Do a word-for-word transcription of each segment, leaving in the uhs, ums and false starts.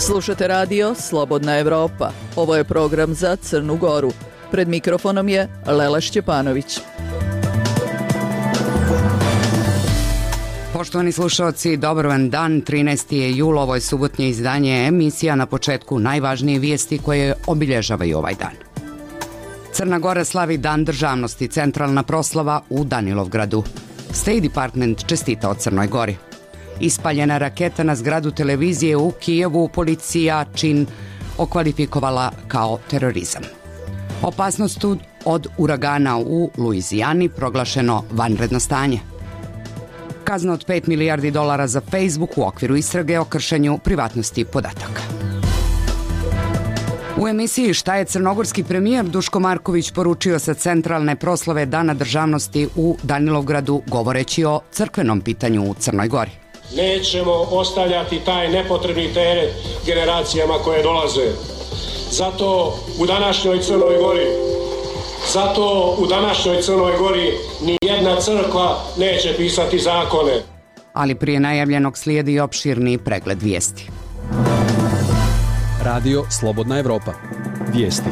Slušate radio Slobodna Evropa. Ovo je program za Crnu Goru. Pred mikrofonom je Lela Šćepanović. Poštovani slušalci, dobar vam dan. trinaesti je jul, ovo je subotnje izdanje emisija. Na početku najvažnije vijesti koje obilježavaju ovaj dan. Crna Gora slavi Dan državnosti, centralna proslava u Danilovgradu. State Department čestita o Crnoj Gori. Ispaljena raketa na zgradu televizije u Kijevu, policija čin okvalifikovala kao terorizam. Opasnost od uragana u Luizijani, proglašeno vanredno stanje. Kazna od pet milijardi dolara za Facebook u okviru istrage o kršenju privatnosti podataka. U emisiji Šta je crnogorski premijer Duško Marković poručio sa centralne proslave Dana državnosti u Danilovgradu govoreći o crkvenom pitanju u Crnoj Gori. Nećemo ostavljati taj nepotrebni teret generacijama koje dolaze. Zato u današnjoj Crnoj Gori, zato u današnjoj Crnoj Gori ni jedna crkva neće pisati zakone. Ali prije najavljenog slijedi opširni pregled vijesti. Radio Slobodna Evropa. Vijesti.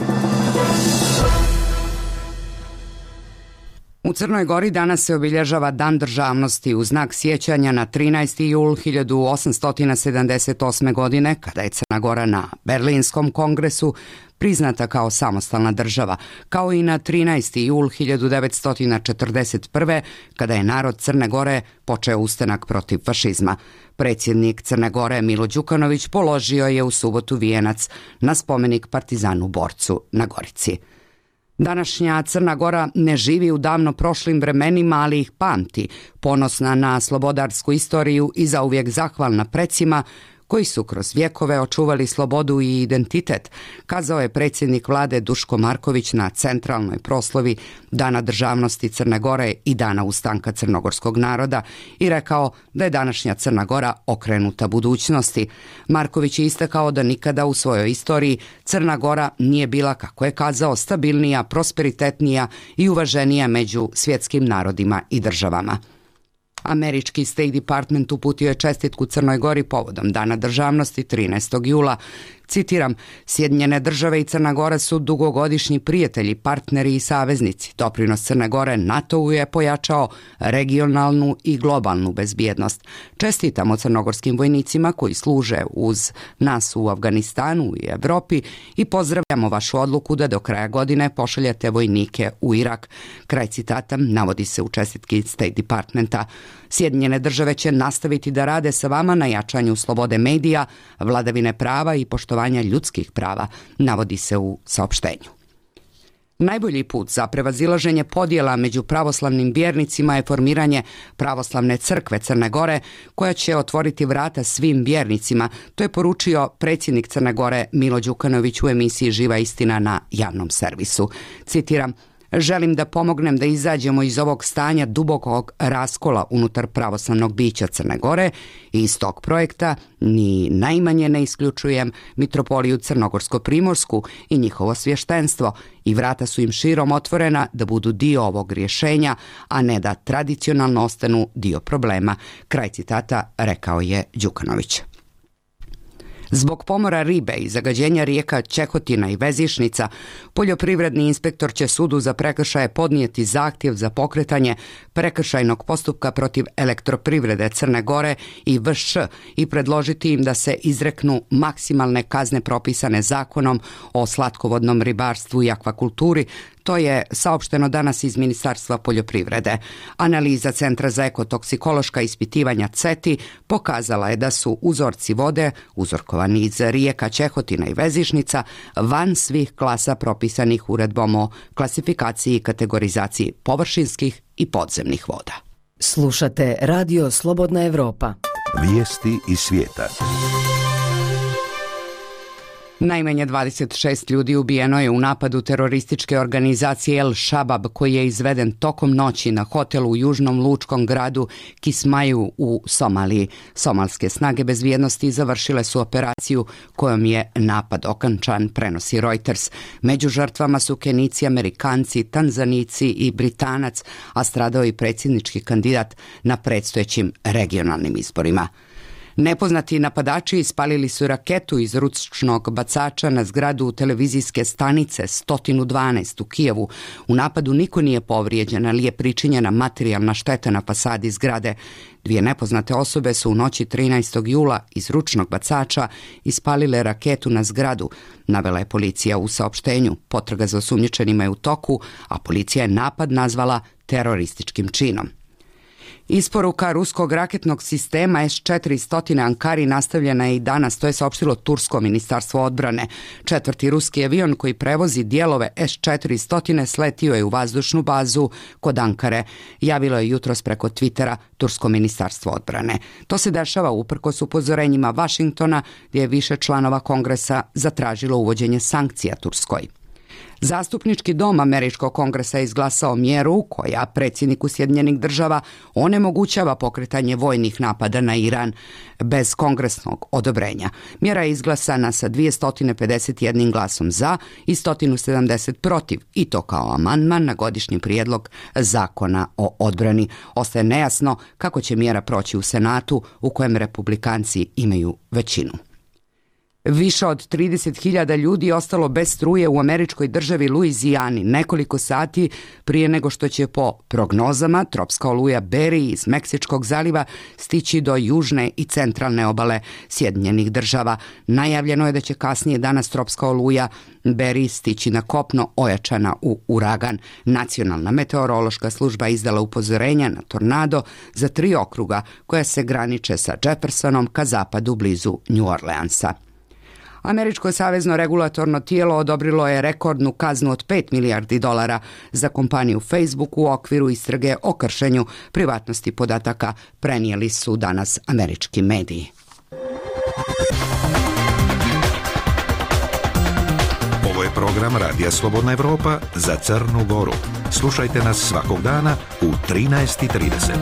U Crnoj Gori danas se obilježava Dan državnosti u znak sjećanja na trinaesti jul hiljadu osamsto sedamdeset osme. godine, kada je Crna Gora na Berlinskom kongresu priznata kao samostalna država, kao i na trinaesti jul hiljadu devetsto četrdeset prve. kada je narod Crne Gore počeo ustanak protiv fašizma. Predsjednik Crne Gore Milo Đukanović položio je u subotu vijenac na spomenik partizanu borcu na Gorici. Današnja Crna Gora ne živi u davno prošlim vremenima, ali ih pamti, ponosna na slobodarsku istoriju i zauvijek zahvalna precima koji su kroz vjekove očuvali slobodu i identitet, kazao je predsjednik vlade Duško Marković na centralnoj proslavi Dana državnosti Crne Gore i Dana ustanka crnogorskog naroda i rekao da je današnja Crna Gora okrenuta budućnosti. Marković je istakao da nikada u svojoj istoriji Crna Gora nije bila, kako je kazao, stabilnija, prosperitetnija i uvaženija među svjetskim narodima i državama. Američki State Department uputio je čestitku Crnoj Gori povodom Dana državnosti trinaestog jula. Citiram, Sjedinjene države i Crna Gora su dugogodišnji prijatelji, partneri i saveznici. Doprinos Crne Gore NATO-u je pojačao regionalnu i globalnu bezbjednost. Čestitamo crnogorskim vojnicima koji služe uz nas u Afganistanu i Evropi i pozdravljamo vašu odluku da do kraja godine pošaljete vojnike u Irak. Kraj citata navodi se u čestitki State Departmenta. Sjedinjene države će nastaviti da rade sa vama na jačanju slobode medija, vladavine prava i poštovanja ljudskih prava, navodi se u saopštenju. Najbolji put za prevazilaženje podjela među pravoslavnim vjernicima je formiranje pravoslavne crkve Crne Gore, koja će otvoriti vrata svim vjernicima. To je poručio predsjednik Crne Gore Milo Đukanović u emisiji Živa istina na javnom servisu. Citiram, želim da pomognem da izađemo iz ovog stanja dubokog raskola unutar pravoslavnog bića Crne Gore i iz tog projekta ni najmanje ne isključujem mitropoliju Crnogorsko-Primorsku i njihovo svještenstvo i vrata su im širom otvorena da budu dio ovog rješenja, a ne da tradicionalno ostanu dio problema. Kraj citata rekao je Đukanović. Zbog pomora ribe i zagađenja rijeka Čehotina i Vezišnica, poljoprivredni inspektor će sudu za prekršaje podnijeti zahtjev za pokretanje prekršajnog postupka protiv Elektroprivrede Crne Gore i V Š i predložiti im da se izreknu maksimalne kazne propisane zakonom o slatkovodnom ribarstvu i akvakulturi. To je saopšteno danas iz Ministarstva poljoprivrede. Analiza Centra za ekotoksikološka ispitivanja C E T I pokazala je da su uzorci vode, uzorkovani iz rijeka Čehotina i Vezišnica, van svih klasa propisanih uredbom o klasifikaciji i kategorizaciji površinskih i podzemnih voda. Slušate Radio Slobodna Evropa. Vijesti iz svijeta. Najmanje dvadeset šest ljudi ubijeno je u napadu terorističke organizacije El Shabab koji je izveden tokom noći na hotelu u južnom lučkom gradu Kismaju u Somaliji. Somalske snage bezbjednosti završile su operaciju kojom je napad okončan, prenosi Reuters. Među žrtvama su Kenijci, Amerikanci, Tanzanici i Britanac, a stradao i predsjednički kandidat na predstojećim regionalnim izborima. Nepoznati napadači ispalili su raketu iz ručnog bacača na zgradu televizijske stanice sto dvanaest u Kijevu. U napadu niko nije povrijeđen, ali je pričinjena materijalna šteta na fasadi zgrade. Dvije nepoznate osobe su u noći trinaestog jula iz ručnog bacača ispalile raketu na zgradu, navela je policija u saopštenju. Potraga za osumnjičenima je u toku, a policija je napad nazvala terorističkim činom. Isporuka ruskog raketnog sistema S četiristo Ankari nastavljena je i danas, to je saopštilo Tursko ministarstvo odbrane. Četvrti ruski avion koji prevozi dijelove S četiristo sletio je u vazdušnu bazu kod Ankare, javilo je jutros preko Twittera Tursko ministarstvo odbrane. To se dešava uprkos upozorenjima Vašingtona, gdje je više članova Kongresa zatražilo uvođenje sankcija Turskoj. Zastupnički dom Američkog kongresa je izglasao mjeru koja predsjedniku Sjedinjenih država onemogućava pokretanje vojnih napada na Iran bez kongresnog odobrenja. Mjera je izglasana sa dvjesto pedeset jedan glasom za i sto sedamdeset protiv, i to kao amandman na godišnji prijedlog zakona o odbrani. Ostaje nejasno kako će mjera proći u Senatu, u kojem republikanci imaju većinu. Više od trideset hiljada ljudi ostalo bez struje u američkoj državi Luizijani nekoliko sati prije nego što će po prognozama tropska oluja Barry iz Meksičkog zaliva stići do južne i centralne obale Sjedinjenih država. Najavljeno je da će kasnije danas tropska oluja Barry stići na kopno ojačana u uragan. Nacionalna meteorološka služba izdala upozorenja na tornado za tri okruga koja se graniče sa Jeffersonom ka zapadu blizu New Orleansa. Američko savezno regulatorno tijelo odobrilo je rekordnu kaznu od pet milijardi dolara za kompaniju Facebook u okviru istrage o kršenju privatnosti podataka, prenijeli su danas američki mediji. Ovo je program Radija Slobodna Evropa za Crnu Goru. Slušajte nas svakog dana u trinaest i trideset.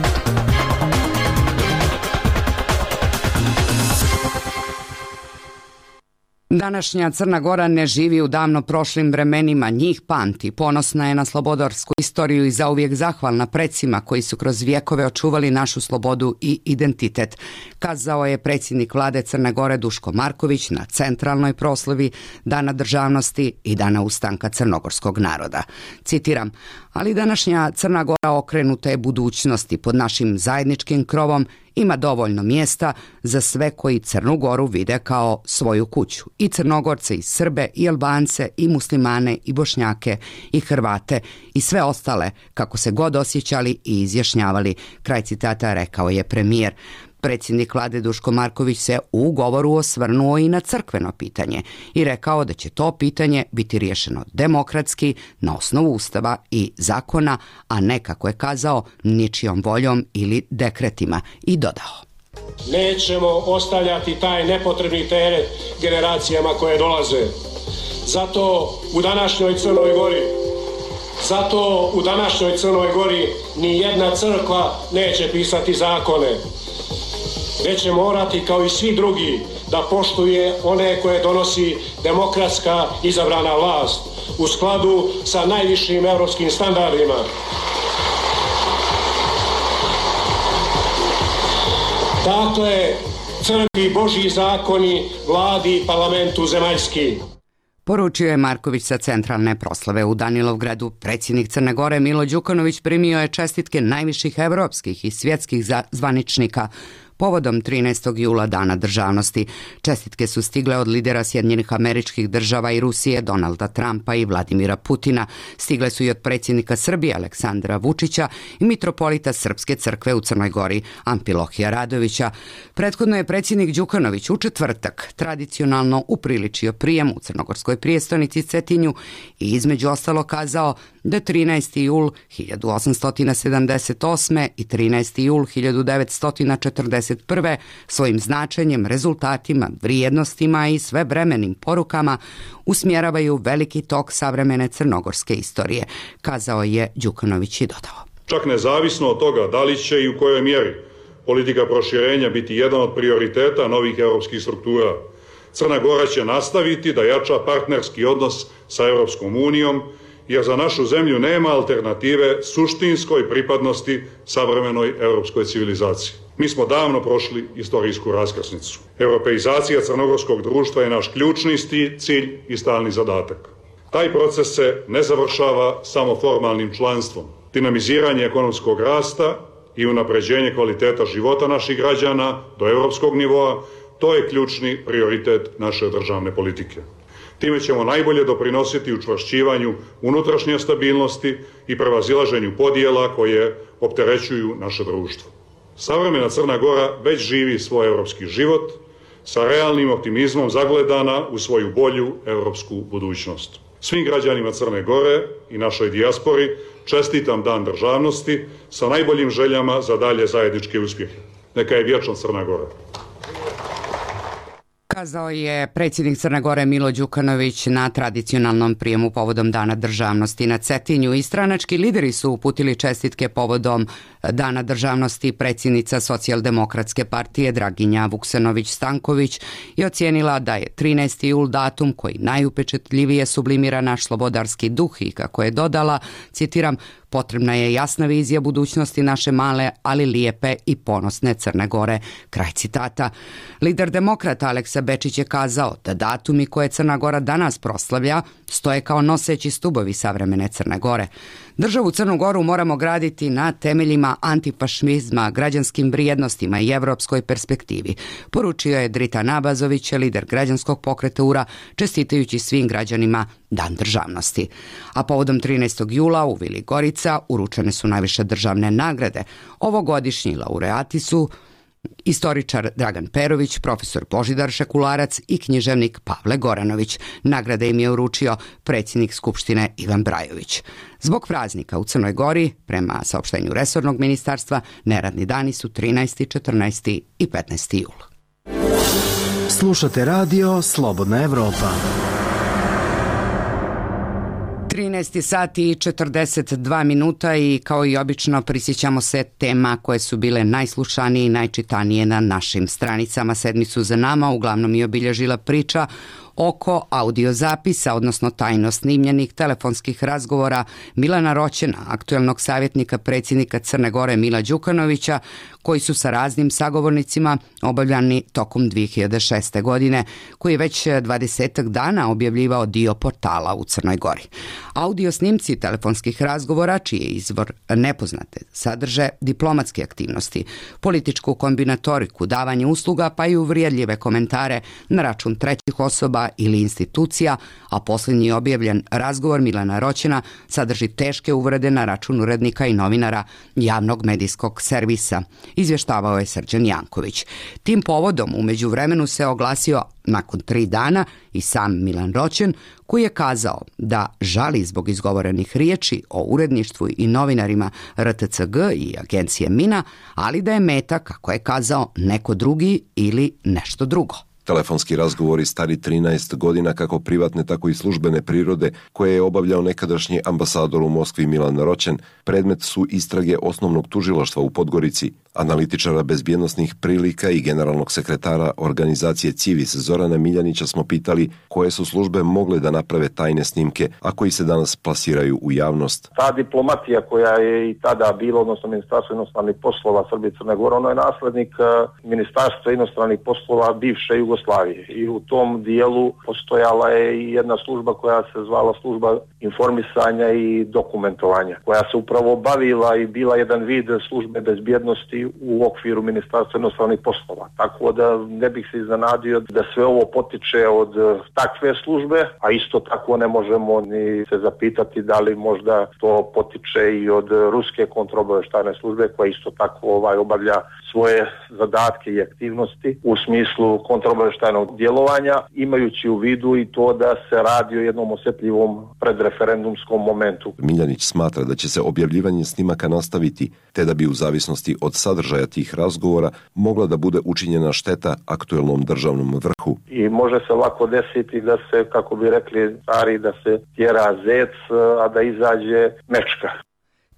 Današnja Crna Gora ne živi u davno prošlim vremenima, njih pamti. Ponosna je na slobodarsku istoriju i zauvijek zahvalna predsima koji su kroz vjekove očuvali našu slobodu i identitet, kazao je predsjednik vlade Crne Gore Duško Marković na centralnoj proslavi Dana državnosti i Dana ustanka crnogorskog naroda. Citiram: ali današnja Crna Gora okrenuta je budućnosti, pod našim zajedničkim krovom ima dovoljno mjesta za sve koji Crnu Goru vide kao svoju kuću. I Crnogorce, i Srbe, i Albance, i Muslimane, i Bošnjake, i Hrvate, i sve ostale, kako se god osjećali i izjašnjavali. Kraj citata, rekao je premijer. Predsjednik vlade Duško Marković se u govoru osvrnuo i na crkveno pitanje i rekao da će to pitanje biti riješeno demokratski, na osnovu ustava i zakona, a ne, kako je kazao, ničijom voljom ili dekretima, i dodao: nećemo ostavljati taj nepotrebni teret generacijama koje dolaze. Zato u današnjoj Crnoj Gori Zato u današnjoj Crnoj Gori ni jedna crkva neće pisati zakone, već će morati, kao i svi drugi, da poštuje one koje donosi demokratska izabrana vlast u skladu sa najvišim evropskim standardima. Dakle, crkvi Božji zakoni, vladi i parlamentu zemaljski. Poručio je Marković sa centralne proslave u Danilovgradu. Predsjednik Crne Gore Milo Đukanović primio je čestitke najviših evropskih i svjetskih zvaničnika povodom trinaestog jula Dana državnosti. Čestitke su stigle od lidera Sjedinjenih Američkih Država i Rusije Donalda Trumpa i Vladimira Putina. Stigle su i od predsjednika Srbije Aleksandra Vučića i mitropolita Srpske crkve u Crnoj Gori Amfilohija Radovića. Prethodno je predsjednik Đukanović u četvrtak tradicionalno upriličio prijem u crnogorskoj prijestolnici Cetinju i između ostalo kazao da trinaesti jul hiljadu osamsto sedamdeset osme i trinaesti jul hiljadu devetsto četrdeset prve svojim značenjem, rezultatima, vrijednostima i svevremenim porukama usmjeravaju veliki tok savremene crnogorske istorije, kazao je Đukanović i dodao: čak nezavisno od toga da li će i u kojoj mjeri politika proširenja biti jedan od prioriteta novih europskih struktura, Crna Gora će nastaviti da jača partnerski odnos sa Europskom unijom, jer za našu zemlju nema alternative suštinskoj pripadnosti savremenoj europskoj civilizaciji. Mi smo davno prošli istorijsku raskrsnicu. Europeizacija crnogorskog društva je naš ključni cilj i stalni zadatak. Taj proces se ne završava samo formalnim članstvom. Dinamiziranje ekonomskog rasta i unapređenje kvaliteta života naših građana do europskog nivoa, to je ključni prioritet naše državne politike. Time ćemo najbolje doprinositi učvršćivanju unutrašnje stabilnosti i prevazilaženju podjela koje opterećuju naše društvo. Savremena Crna Gora već živi svoj europski život, sa realnim optimizmom zagledana u svoju bolju europsku budućnost. Svim građanima Crne Gore i našoj dijaspori čestitam Dan državnosti sa najboljim željama za dalje zajedničke uspjehe. Neka je vječna Crna Gora. Kazao je predsjednik Crne Gore Milo Đukanović na tradicionalnom prijemu povodom Dana državnosti na Cetinju. I stranački lideri su uputili čestitke povodom Dana državnosti. Predsjednica Socijaldemokratske partije Draginja Vuksanović-Stanković je ocijenila da je trinaesti jul datum koji najupečatljivije sublimira naš slobodarski duh i kako je dodala, citiram, potrebna je jasna vizija budućnosti naše male, ali lijepe i ponosne Crne Gore. Kraj citata. Lider demokrata Aleksa Bečić je kazao da datumi koje Crna Gora danas proslavlja stoje kao noseći stubovi savremene Crne Gore. Državu Crnu Goru moramo graditi na temeljima antifašizma, građanskim vrijednostima i evropskoj perspektivi, poručio je Dritan Abazović, lider građanskog pokreta U R A, čestitajući svim građanima Dan državnosti. A povodom trinaestog jula u Vili Gorica uručene su najviše državne nagrade. Ovogodišnji laureati su istoričar Dragan Perović, profesor Božidar Šekularac i književnik Pavle Goranović. Nagrade im je uručio predsjednik Skupštine Ivan Brajović. Zbog praznika u Crnoj Gori, prema saopštenju resornog ministarstva, neradni dani su trinaesti, četrnaesti i petnaesti jul. Slušate radio Slobodna Evropa. trinaest sati i četrdeset dva minuta i kao i obično prisjećamo se tema koje su bile najslušanije i najčitanije na našim stranicama. Sedmicu za nama uglavnom je obilježila priča oko audiozapisa, odnosno tajno snimljenih telefonskih razgovora Milana Roćena, aktuelnog savjetnika predsjednika Crne Gore Mila Đukanovića, koji su sa raznim sagovornicima obavljani tokom dvije hiljade šeste. godine, koji je već dvadesetak dana objavljivao dio portala u Crnoj Gori. Audio snimci telefonskih razgovora, čiji je izvor nepoznate, sadrže diplomatske aktivnosti, političku kombinatoriku, davanje usluga pa i uvrijedljive komentare na račun trećih osoba ili institucija, a posljednji objavljen razgovor Milana Roćena sadrži teške uvrede na račun urednika i novinara javnog medijskog servisa, izvještavao je Srđan Janković. Tim povodom u međuvremenu se oglasio nakon tri dana i sam Milan Roćen, koji je kazao da žali zbog izgovorenih riječi o uredništvu i novinarima R T C G i agencije Mina, ali da je meta, kako je kazao, neko drugi ili nešto drugo. Telefonski razgovori stari trinaest godina, kako privatne, tako i službene prirode, koje je obavljao nekadašnji ambasador u Moskvi Milan Roćen, predmet su istrage osnovnog tužilaštva u Podgorici, analitičara bezbjednosnih prilika i generalnog sekretara organizacije Civis Zorana Miljanića smo pitali koje su službe mogle da naprave tajne snimke, a koji se danas plasiraju u javnost. Ta diplomatija koja je i tada bila, odnosno Ministarstvo inostranih poslova Srbije i Crne Gore, ono je naslednik Ministarstva inostranih poslova bivše Jugoslavije i u tom dijelu postojala je i jedna služba koja se zvala služba informisanja i dokumentovanja, koja se upravo bavila i bila jedan vid službe bezbjednosti u okviru Ministarstva inostranih poslova. Tako da ne bih se iznenadio da sve ovo potiče od takve službe, a isto tako ne možemo ni se zapitati da li možda to potiče i od ruske kontraobavještajne službe, koja isto tako ovaj obavlja svoje zadatke i aktivnosti u smislu kontraobavještajnog djelovanja, imajući u vidu i to da se radi o jednom osjetljivom predreferendumskom momentu. Miljanić smatra da će se objavljivanje snimaka nastaviti, te da bi u zavisnosti od sadržaja tih razgovora mogla da bude učinjena šteta aktuelnom državnom vrhu. I može se lako desiti da se, kako bi rekli stari, da se tjera zec, a da izađe mečka.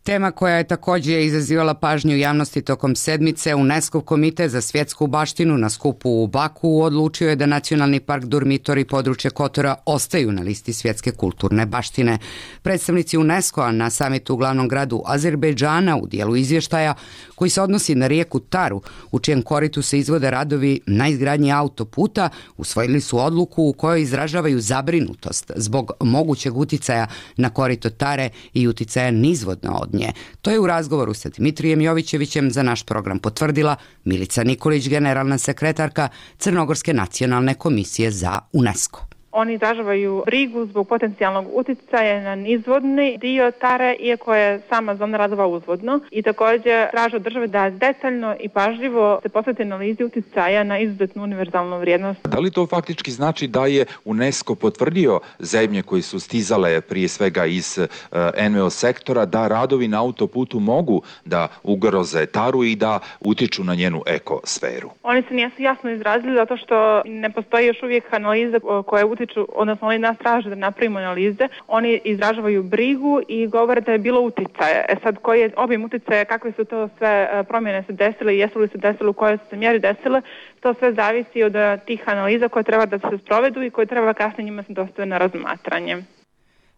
Tema koja je također izazivala pažnju javnosti tokom sedmice, UNESCO komitet za svjetsku baštinu na skupu u Baku odlučio je da Nacionalni park Durmitor i područje Kotora ostaju na listi svjetske kulturne baštine. Predstavnici UNESCO-a na samitu u glavnom gradu Azerbejdžana u dijelu izvještaja koji se odnosi na rijeku Taru, u čijem koritu se izvode radovi na izgradnji autoputa, usvojili su odluku u kojoj izražavaju zabrinutost zbog mogućeg uticaja na korito Tare i uticaja nizvodno od nje. To je u razgovoru sa Dimitrijem Jovićevićem za naš program potvrdila Milica Nikolić, generalna sekretarka Crnogorske nacionalne komisije za UNESCO. Oni izražavaju brigu zbog potencijalnog uticaja na nizvodni dio Tare, iako je sama zona radova uzvodno, i također traže od države da detaljno i pažljivo se posveti analizi uticaja na izuzetnu univerzalnu vrijednost. Da li to faktički znači da je UNESCO potvrdio zemlje koje su stizale prije svega iz uh, en ve o sektora da radovi na autoputu mogu da ugroze Taru i da utiču na njenu ekosferu? Oni se nisu jasno izrazili zato što ne postoji još uvijek analiza koje utiču, odnosno oni nas traže da napravimo analize, oni izražavaju brigu i govore da je bilo uticaja. E sad, koji je obim uticaja, kakve su to sve promjene se desile, jesu li se desile, u kojoj su se mjeri desile, to sve zavisi od tih analiza koje treba da se sprovedu i koje treba kasnije njima se dostave na razmatranje.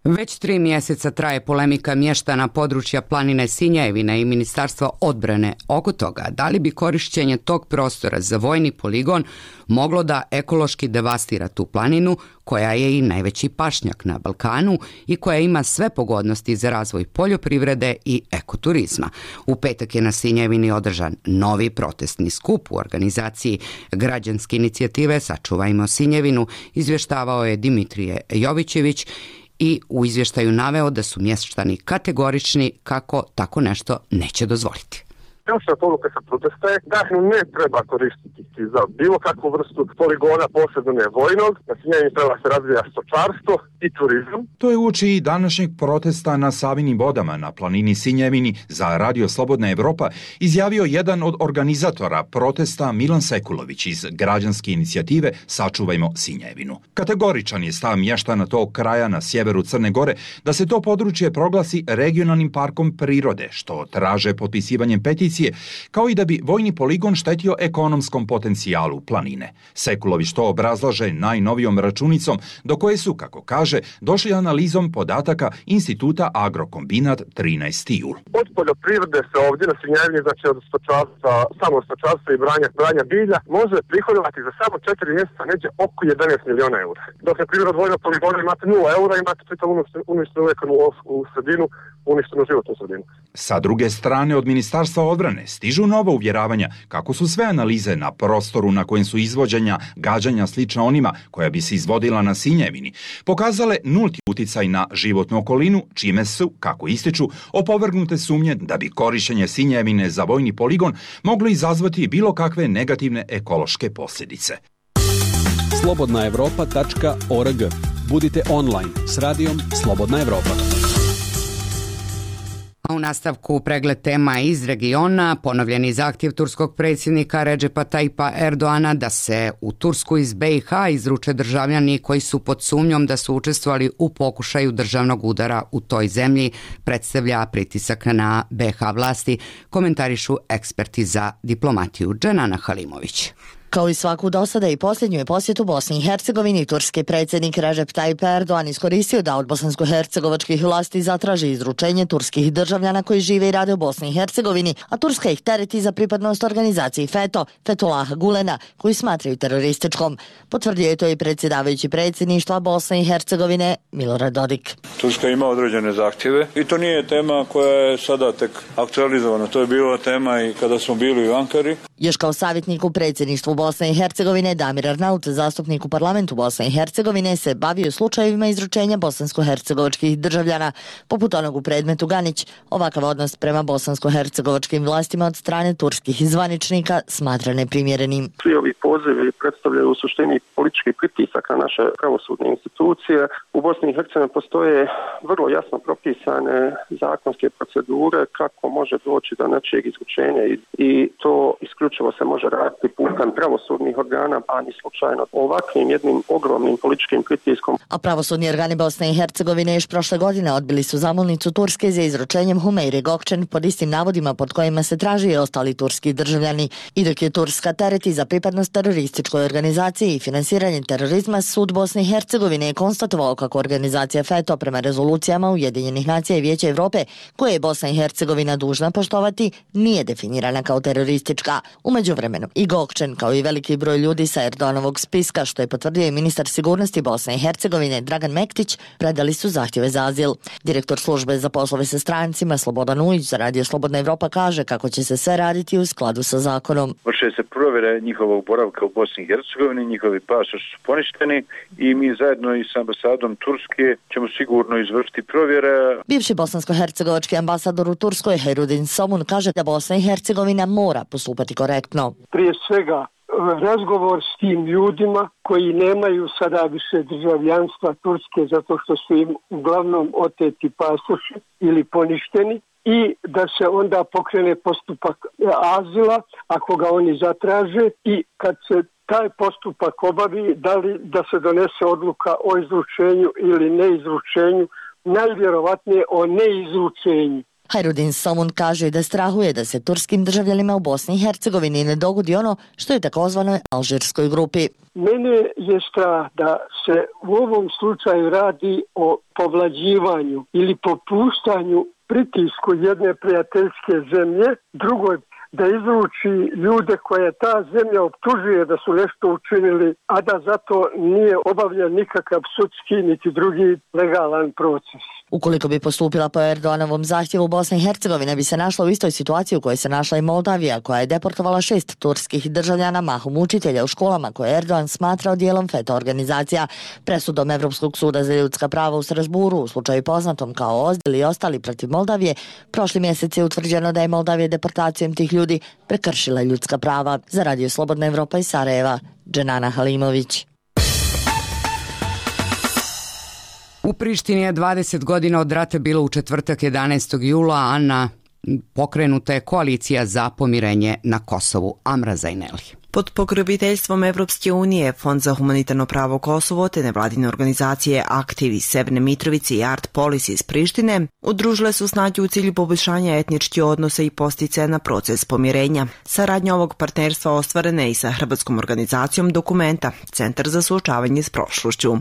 Već tri mjeseca traje polemika mještana područja planine Sinjevine i Ministarstva odbrane oko toga da li bi korišćenje tog prostora za vojni poligon moglo da ekološki devastira tu planinu, koja je i najveći pašnjak na Balkanu i koja ima sve pogodnosti za razvoj poljoprivrede i ekoturizma. U petak je na Sinjevini održan novi protestni skup u organizaciji građanske inicijative Sačuvajmo Sinjevinu, izvještavao je Dimitrije Jovićević i u izvještaju naveo da su mještani kategorični kako tako nešto neće dozvoliti. Ključna poruka sa protesta je da ne treba koristiti za bilo kakvu vrstu poligona, posebno ne vojnog, na Sinjevini treba se razvija stočarstvo i turizam. To je uoči i današnjeg protesta na Savinim vodama na planini Sinjevini za Radio Slobodna Evropa izjavio jedan od organizatora protesta Milan Sekulović iz građanske inicijative Sačuvajmo Sinjevinu. Kategoričan je stav mještana tog kraja na sjeveru Crne Gore da se to područje proglasi regionalnim parkom prirode, što traže potpisivanjem peticije, kao i da bi vojni poligon štetio ekonomskom potencijalu planine. Sekulović to obrazlaže najnovijom računicom do koje su, kako kaže, došli analizom podataka Instituta Agrokombinat trinaesti jul. Od poljoprivrede se ovdje na Sinjevini, znači od stočarstva, samo stočarstva i branja, branja bilja, može prihodovati za samo četiri mjeseca neđe oko jedanaest miliona eura. Dok je prihod od vojnog poligona imate nula eura, imate čitavu uništenu ekonomsku sredinu, uništenu životnu sredinu. Sa druge strane, od Ministarstva odbrane stižu nova uvjeravanja kako su sve analize na prostoru na kojem su izvođenja gađanja slična onima koja bi se izvodila na Sinjevini pokazale nulti uticaj na životnu okolinu, čime su, kako ističu, opovrgnute sumnje da bi korištenje Sinjevine za vojni poligon moglo izazvati bilo kakve negativne ekološke posljedice. slobodna evropa tačka org. Budite online s radijom Slobodna Evropa. A u nastavku pregled tema iz regiona, ponovljeni zahtjev turskog predsjednika Redžepa Tajipa Erdoana da se u Tursku iz be i ha izruče državljani koji su pod sumnjom da su učestvovali u pokušaju državnog udara u toj zemlji predstavlja pritisak na be i ha vlasti, komentarišu eksperti za diplomatiju. Dženana Halimović. Kao i svaku dosada i posljednju je posjetu Bosni i Hercegovini, turski predsjednik Recep Tayyip Erdogan iskoristio da od bosansko-hercegovačkih vlasti zatraži izručenje turskih državljana koji žive i rade u Bosni i Hercegovini, a Turska ih tereti za pripadnost organizaciji FETÖ, Fethullaha Gulena, koju smatraju terorističkom. Potvrdio je to i predsjedavajući predsjedništva Bosne i Hercegovine Milorad Dodik. Turska ima određene zahtjeve i to nije tema koja je sada tek aktualizovana. To je bila tema i kada smo bili u Ankari. Još kao savjetnik u predsjedništvu Bosne i Hercegovine, Damir Arnaut, zastupnik u parlamentu Bosne i Hercegovine, se bavio slučajevima izručenja bosansko-hercegovačkih državljana, poput onog u predmetu Ganić. Ovakav odnos prema bosansko-hercegovačkim vlastima od strane turskih zvaničnika smatra neprimjerenim. Svi ovi pozivi predstavljaju u suštini politički pritisak na naše pravosudne institucije. U Bosni i Hercegovini postoje vrlo jasno propisane zakonske procedure kako može doći do nečijeg izručenja i to isključuje isključivo se može raditi putem pravosudnih organa, a ni slučajno ovakvim jednim ogromnim političkim pritiskom. A pravosudni organi Bosne i Hercegovine još prošle godine odbili su zamolnicu Turske za izručenjem Humeyre Gökçen pod istim navodima pod kojima se traži i ostali turski državljani. I dok je Turska tereti za pripadnost terorističkoj organizaciji i finansiranje terorizma, sud Bosne i Hercegovine je konstatovao kako organizacija FETO prema rezolucijama Ujedinjenih nacija i Vijeća Evrope, koje je Bosna i Hercegovina dužna poštovati, nije definirana kao teroristička. U međuvremenu i Gökçen, kao i veliki broj ljudi sa Erdoganovog spiska, što je potvrdio i ministar sigurnosti Bosne i Hercegovine Dragan Mektić, predali su zahtjeve za azil. Direktor službe za poslove sa strancima Slobodan Ujić za Radio Slobodna Evropa kaže kako će se sve raditi u skladu sa zakonom. Vrše se provjere njihovog boravka u Bosni i Hercegovini, njihovi pasoši su poništeni i mi zajedno i s ambasadom Turske ćemo sigurno izvršiti provjere. Bivši bosansko-hercegovački ambasador u Turskoj Hajrudin Somun kaže da Bosna i Hercegovina mora postupati korektno. Prije svega razgovor s tim ljudima koji nemaju sada više državljanstva Turske zato što su im uglavnom oteti pasoši ili poništeni, i da se onda pokrene postupak azila ako ga oni zatraže, i kad se taj postupak obavi, da li da se donese odluka o izručenju ili neizručenju, najvjerovatnije o neizručenju. Hajrudin Somun kaže da strahuje da se turskim državljanima u Bosni i Hercegovini ne dogodi ono što je takozvanoj alžirskoj grupi. Mene je strah da se u ovom slučaju radi o povlađivanju ili popuštanju pritisku jedne prijateljske zemlje drugoj da izruči ljude koje ta zemlja optužuje da su nešto učinili, a da zato nije obavljen nikakav sudski niti drugi legalan proces. Ukoliko bi postupila po Erdoganovom zahtjevu, Bosna i Hercegovina bi se našla u istoj situaciji u kojoj se našla i Moldavija, koja je deportovala šest turskih državljana, mahom učitelja u školama koje Erdogan smatrao dijelom FETO organizacija. Presudom Evropskog suda za ljudska prava u Strasburu, u slučaju poznatom kao Ozdil i ostali protiv Moldavije, prošli mjesec je utvrđeno da je Moldavija deportacijom tih ljudi prekršila ljudska prava. Za Radio Slobodna Evropa iz Sarajeva, Dženana Halimović. U Prištini je dvadeset godina od rata bilo u četvrtak jedanaestog jula, a na pokrenuta je koalicija za pomirenje na Kosovu. Amra Zajneli. Pod pokroviteljstvom Evropske unije, Fond za humanitarno pravo Kosovo te nevladine organizacije Aktiv iz Severne Mitrovice i Art Policy iz Prištine udružile su snage u cilju poboljšanja etničkih odnosa i posticaja na proces pomirenja. Saradnja ovog partnerstva ostvarena je i sa hrvatskom organizacijom Dokumenta, Centar za suočavanje s prošlošću.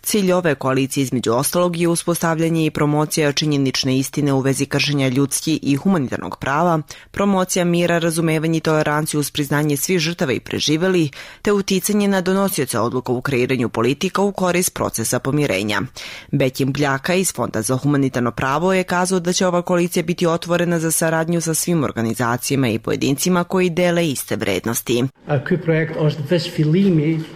Cilj ove koalicije između ostalog je uspostavljanje i promocija činjenične istine u vezi kršenja ljudskih i humanitarnog prava, promocija mira, razumevanje i toleranciju uz priznanje svih žrtava i preživeli, te uticanje na donosioce odluka u kreiranju politika u korist procesa pomirenja. Bekim Bljaka iz Fonda za humanitarno pravo je kazao da će ova koalicija biti otvorena za saradnju sa svim organizacijama i pojedincima koji dele iste vrednosti.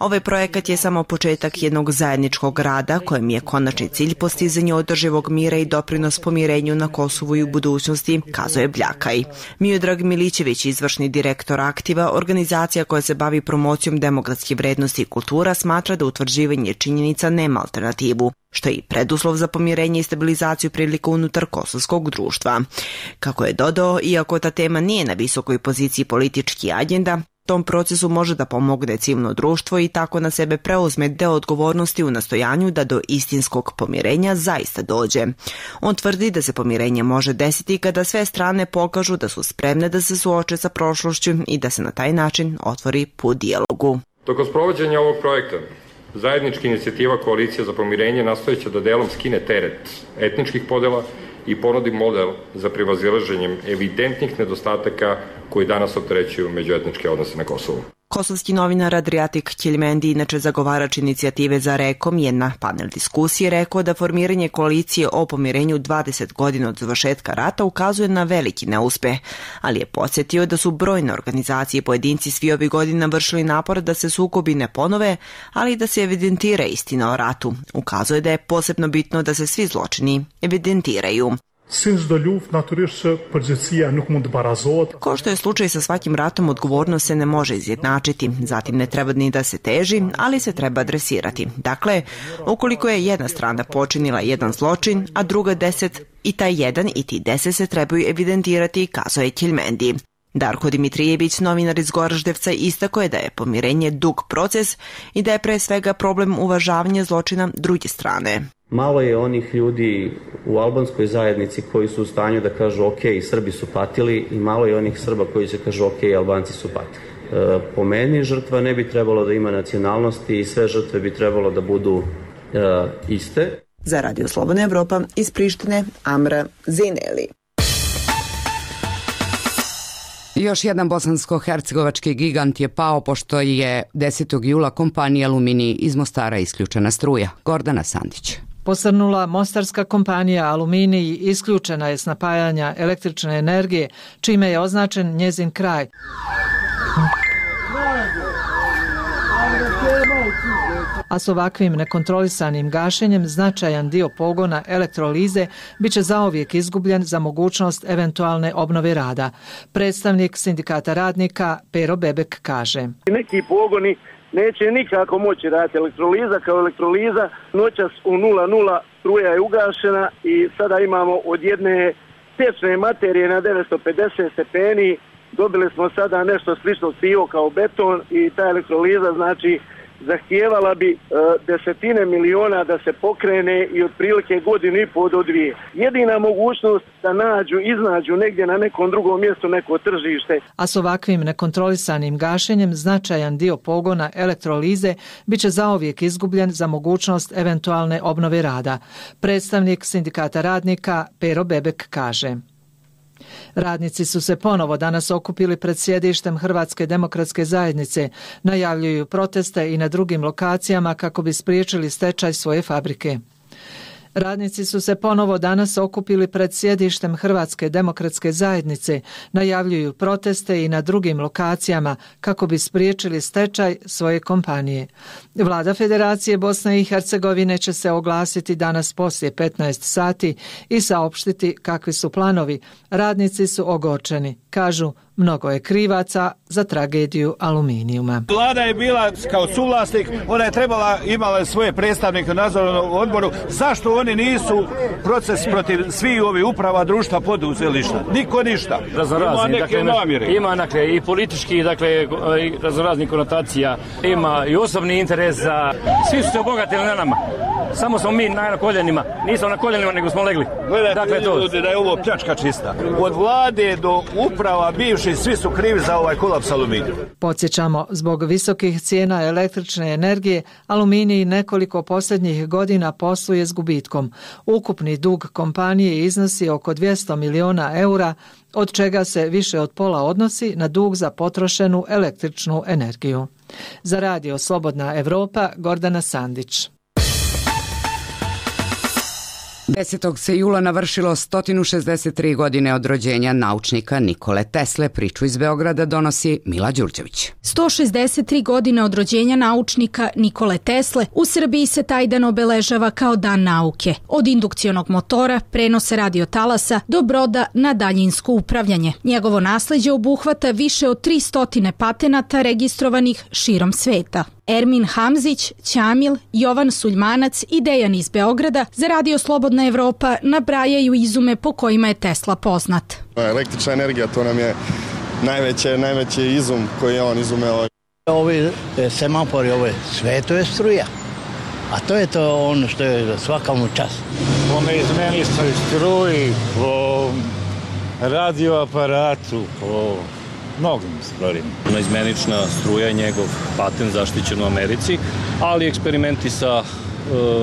Ovaj projekat je samo početak jednog zajedničkog rada kojem je konačni cilj postizanje održivog mira i doprinos pomirenju na Kosovu i u budućnosti, kazao je Bljakaj. Miodrag Milićević, izvršni direktor Aktiva, organizacija koja se bavi promocijom demokratskih vrednosti i kultura, smatra da utvrđivanje činjenica nema alternativu, što je i preduslov za pomirenje i stabilizaciju prilika unutar kosovskog društva. Kako je dodao, iako ta tema nije na visokoj poziciji politički agenda, tom procesu može da pomogne civilno društvo i tako na sebe preuzme deo odgovornosti u nastojanju da do istinskog pomirenja zaista dođe. On tvrdi da se pomirenje može desiti kada sve strane pokažu da su spremne da se suoče sa prošlošću i da se na taj način otvori put dijalogu. Tokom sprovođenja ovog projekta, zajednička inicijativa Koalicija za pomirenje nastojeće da delom skine teret etničkih podela i ponudi model za prevazilaženjem evidentnih nedostataka koji danas opterećuju međuetničke odnose na Kosovu. Kosovski novinar Adriatik Ćeljmendi, inače zagovarač inicijative za Rekom, je na panel diskusije rekao da formiranje koalicije o pomirenju dvadeset godina od završetka rata ukazuje na veliki neuspeh, ali je podsjetio da su brojne organizacije i pojedinci svi ovih godina vršili napor da se sukobi ne ponove, ali i da se evidentira istina o ratu. Ukazuje da je posebno bitno da se svi zločini evidentiraju. Kao što je slučaj sa svakim ratom, odgovornost se ne može izjednačiti, zatim ne treba ni da se teži, ali se treba adresirati. Dakle, ukoliko je jedna strana počinila jedan zločin, a druga deset, i taj jedan i ti deset se trebaju evidentirati, kazao je Ćeljmendi. Darko Dimitrijević, novinar iz Goraždevca, istako je da je pomirenje dug proces i da je pre svega problem uvažavanja zločina druge strane. Malo je onih ljudi u albanskoj zajednici koji su u stanju da kažu ok, Srbi su patili, i malo je onih Srba koji će kažu ok, Albanci su patili. E, po meni žrtva ne bi trebalo da ima nacionalnosti i sve žrtve bi trebalo da budu e, iste. Za Radio Slobodna Evropa iz Prištine, Amra Zineli. Još jedan bosansko-hercegovački gigant je pao pošto je desetog jula kompanija Aluminij iz Mostara isključena struja. Gordana Sandić. Posrnula mostarska kompanija Aluminij isključena je s napajanja električne energije, čime je označen njezin kraj. A s ovakvim nekontrolisanim gašenjem značajan dio pogona elektrolize biće zauvijek izgubljen za mogućnost eventualne obnove rada. Predstavnik sindikata radnika Pero Bebek kaže: Neki pogoni neće nikako moći raditi. Elektroliza kao elektroliza, noćas u nula nula struja je ugašena i sada imamo od jedne tečne materije na devetsto pedeset stepeni, dobili smo sada nešto slično sivo kao beton i ta elektroliza znači zahtijevala bi e, desetine miliona da se pokrene i otprilike godinu i pol do dvije. Jedina mogućnost da nađu, iznađu negdje na nekom drugom mjestu neko tržište. A s ovakvim nekontrolisanim gašenjem značajan dio pogona elektrolize biće zauvijek izgubljen za mogućnost eventualne obnove rada. Predstavnik sindikata radnika Pero Bebek kaže: Radnici su se ponovo danas okupili pred sjedištem Hrvatske demokratske zajednice, najavljuju proteste i na drugim lokacijama kako bi spriječili stečaj svoje fabrike. Radnici su se ponovo danas okupili pred sjedištem Hrvatske demokratske zajednice, najavljuju proteste i na drugim lokacijama kako bi spriječili stečaj svoje kompanije. Vlada Federacije Bosne i Hercegovine će se oglasiti danas poslije petnaest sati i saopštiti kakvi su planovi. Radnici su ogorčeni, kažu: mnogo je krivaca za tragediju Aluminijuma. Vlada je bila kao suvlasnik, ona je trebala, imala svoje predstavnike u nadzornom odboru. Zašto oni nisu proces protiv svih ovih uprava društva poduzeli ništa? Niko ništa. Raznorazni, ima neke dakle, namjere. Ima dakle, i politički, dakle, raznoraznih konotacija, ima i osobni interes za... Svi su se obogatili na nama. Samo smo mi na koljenima. Nismo na koljenima, nego smo legli. Gledajte, dakle, to... ljudi, da je ovo pljačka čista. Od vlade do uprava bivši, svi su krivi za ovaj kolaps Aluminija. Podsjećamo, zbog visokih cijena električne energije, Aluminij nekoliko posljednjih godina posluje s gubitkom. Ukupni dug kompanije iznosi oko dvjesto miliona eura, od čega se više od pola odnosi na dug za potrošenu električnu energiju. Za Radio Slobodna Evropa, Gordana Sandić. desetog se jula navršilo sto šezdeset tri godine od rođenja naučnika Nikole Tesle. Priču iz Beograda donosi Mila Đurđević. sto šezdeset tri godine od rođenja naučnika Nikole Tesle u Srbiji se taj dan obeležava kao Dan nauke. Od indukcionog motora, prenosa radiotalasa do broda na daljinsko upravljanje. Njegovo nasleđe obuhvata više od tristo patenata registrovanih širom sveta. Ermin Hamzić, Ćamil, Jovan Suljmanac i Dejan iz Beograda za Radio Slobodna Evropa nabrajaju izume po kojima je Tesla poznat. Električna energija, to nam je najveće, najveći izum koji je on izumeo. Ovi semafori, ovo je sve, to je struja. A to je to ono što je svakom čast. Ome izmenili smo struji, po radioaparatu, po mnogim stvarima. Izmenična struja je njegov patent zaštićen u Americi, ali eksperimenti sa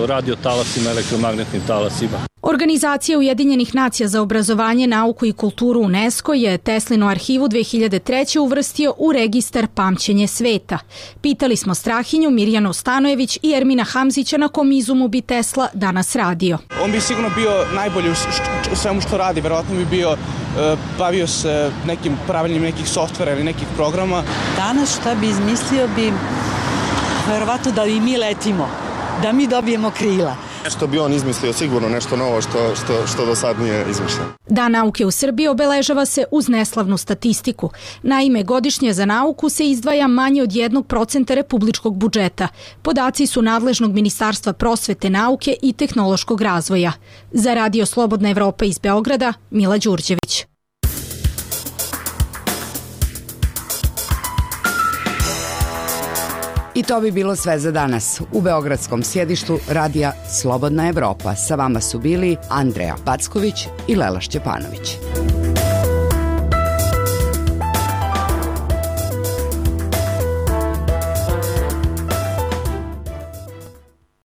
radiotalasima, elektromagnetnim talasima. Organizacija Ujedinjenih nacija za obrazovanje, nauku i kulturu UNESCO je Teslinu arhivu dve hiljade treće. uvrstio u registar Pamćenje sveta. Pitali smo Strahinju, Mirjanu Stanojević i Ermina Hamzića na kom izumu bi Tesla danas radio. On bi sigurno bio najbolji u svemu što radi, verovatno bi bio bavio se nekim pravilnim nekih softvera ili nekih programa. Danas šta bi izmislio bi verovatno da i mi letimo, da mi dobijemo krila. Nešto bi on izmislio, sigurno nešto novo što, što, što do sad nije izmišljeno. Dan nauke u Srbiji obeležava se uz neslavnu statistiku. Naime, godišnje za nauku se izdvaja manje od jednog procenta republičkog budžeta. Podaci su nadležnog Ministarstva prosvete, nauke i tehnološkog razvoja. Za Radio Slobodna Evropa iz Beograda, Mila Đurđević. I to bi bilo sve za danas. U beogradskom sjedištu radija Slobodna Evropa sa vama su bili Andreja Packović i Lela Šćepanović.